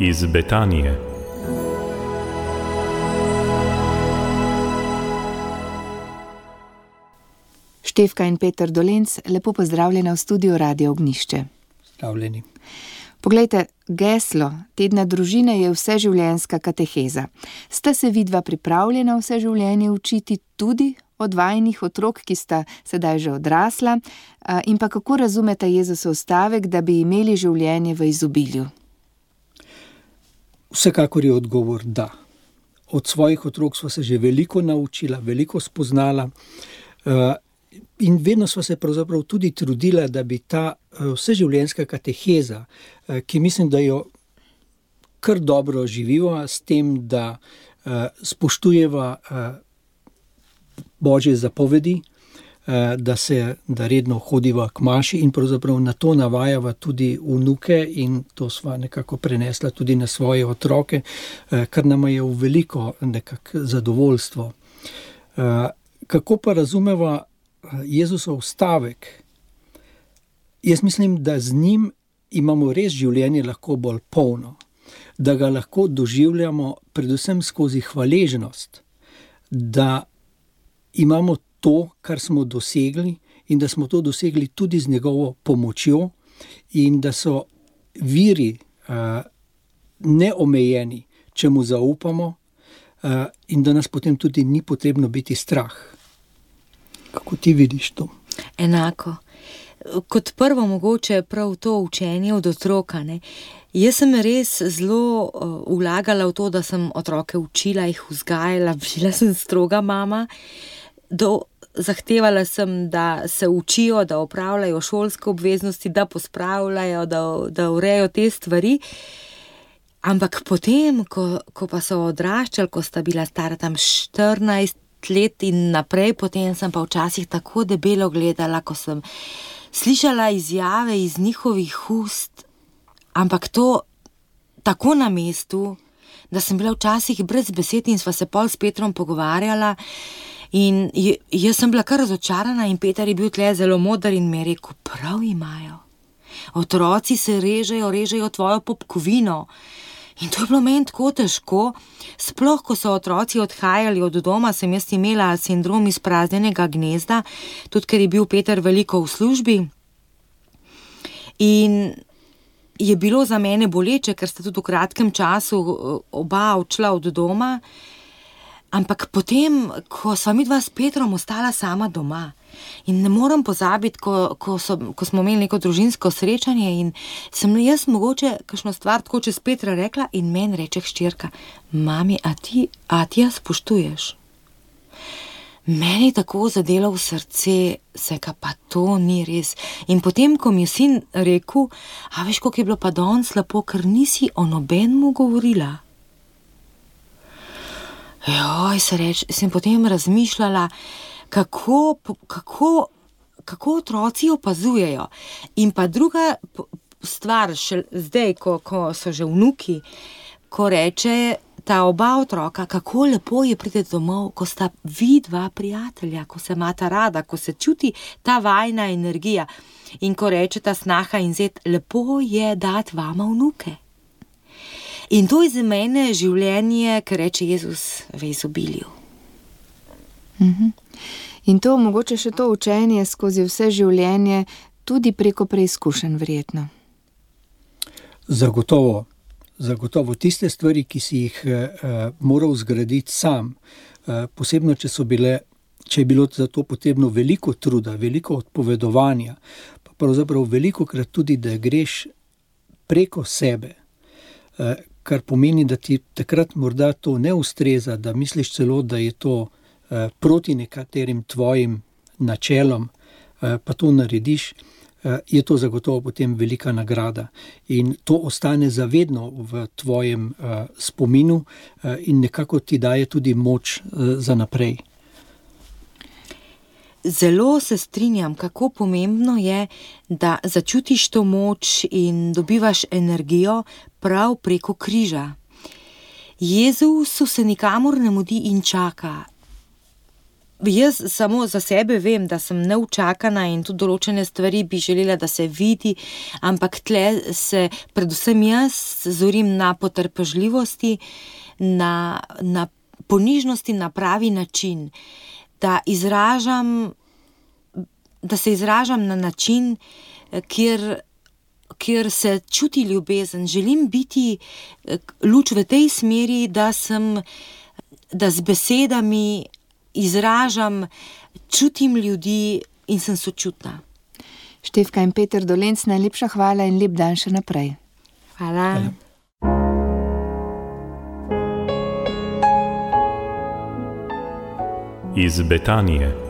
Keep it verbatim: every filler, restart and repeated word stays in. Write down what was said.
iz Betanije. Štefka in Peter Dolenc, lepo pozdravljena v studiu Radio Ognjišče. Zdravljeni. Poglejte, geslo tedna družine je vseživljenjska kateheza. Ste se vidva pripravljena vse življenje učiti tudi od vajinih otrok, ki sta sedaj že odrasla, in pa kako razumete Jezusov stavek, da bi imeli življenje v izobilju? Vsekakor je odgovor da. Od svojih otrok sva se že veliko naučila, veliko spoznala, in vedno sva se pravzaprav tudi trudila, da bi ta vseživljenjska kateheza, ki mislim, da jo kar dobro živiva s tem, da spoštujeva Božje zapovedi, da se, da redno hodiva k maši in pravzaprav na to navajava tudi vnuke in to sva nekako prenesla tudi na svoje otroke, kar nama je v veliko nekako zadovoljstvo. Kako pa razumeva Jezusov stavek? Jaz mislim, da z njim imamo res življenje lahko bolj polno, da ga lahko doživljamo predvsem skozi hvaležnost, da imamo to, kar smo dosegli in da smo to dosegli tudi z njegovo pomočjo in da so viri uh, neomejeni, če mu zaupamo, uh, in da nas potem tudi ni potrebno biti strah. Kako ti vidiš to? Enako. Kot prvo mogoče prav to učenje od otroka, ne. Jaz sem res zelo uh, vlagala v to, da sem otroke učila, jih vzgajala, bila sem stroga mama. Do, zahtevala sem, da se učijo, da opravljajo šolske obveznosti, da pospravljajo, da, da urejo te stvari. Ampak potem, ko, ko pa so odraščali, ko sta bila stara tam štirinajst let in naprej, potem sem pa včasih tako debelo gledala, ko sem slišala izjave iz njihovih ust, ampak to tako na mestu, da sem bila včasih brez besed in sva se pol s Petrom pogovarjala. In jaz sem bila kar razočarana in Peter je bil tle zelo moder in mi je rekel, prav imajo. Otroci se režejo, režejo tvojo popkovino. In to je bilo meni tako težko. Sploh, ko so otroci odhajali od doma, sem jaz imela sindrom izpraznjenega gnezda, tudi ker je bil Peter veliko v službi. In je bilo za mene boleče, ker sta tudi v kratkem času oba odšla od doma. Ampak potem, ko sva midva s Petrom ostala sama doma in ne moram pozabiti, ko, ko, so, ko smo imeli neko družinsko srečanje in sem jaz mogoče kakšno stvar tako čez Petra rekla in meni reče hčerka, mami, a ti, a ti jaz spoštuješ? Meni je tako zadelo v srce, seka pa to ni res. In potem, ko mi je sin rekel, a veš, koliko je bilo pa danes lepo, ker nisi o nobenemu govorila. Joj, se reč, sem potem razmišljala, kako, kako, kako otroci opazujejo. In pa druga stvar, še zdaj, ko, ko so že vnuki, ko reče ta oba otroka, kako lepo je priti domov, ko sta vidva prijatelja, ko se imata rada, ko se čuti ta vajna energija. In ko reče ta snaha in zet, lepo je dati vama vnuke. In to je za mene življenje, kar reče Jezus, v izobilju. Mhm. In to mogoče še to učenje skozi vse življenje, tudi preko preizkušenj verjetno. Zagotovo, zagotovo tiste stvari, ki si jih eh, moral zgraditi sam, eh, posebno, če so bile, če je bilo za to potrebno veliko truda, veliko odpovedovanja, pa pravzaprav veliko krat tudi, da greš preko sebe, eh, kar pomeni, da ti takrat morda to ne ustreza, da misliš celo, da je to eh, proti nekaterim tvojim načelom, eh, pa to narediš, eh, je to zagotovo potem velika nagrada. In to ostane zavedno v tvojem eh, spominu eh, in nekako ti daje tudi moč eh, za naprej. Zelo se strinjam, kako pomembno je, da začutiš to moč in dobivaš energijo prav preko križa. Jezusu se nikamor ne mudi in čaka. Jaz samo za sebe vem, da sem neučakana in tudi določene stvari bi želela, da se vidi, ampak tle se predvsem jaz zorim na potrpežljivosti, na, na ponižnosti na pravi način, da izražam, da se izražam na način, kjer, kjer se čuti ljubezen. Želim biti luč v tej smeri, da sem, da z besedami izražam, čutim ljudi in sem sočutna. Štefka in Peter Dolenc, najlepša hvala in lep dan še naprej. Hvala. Hvala. Iz Betanije.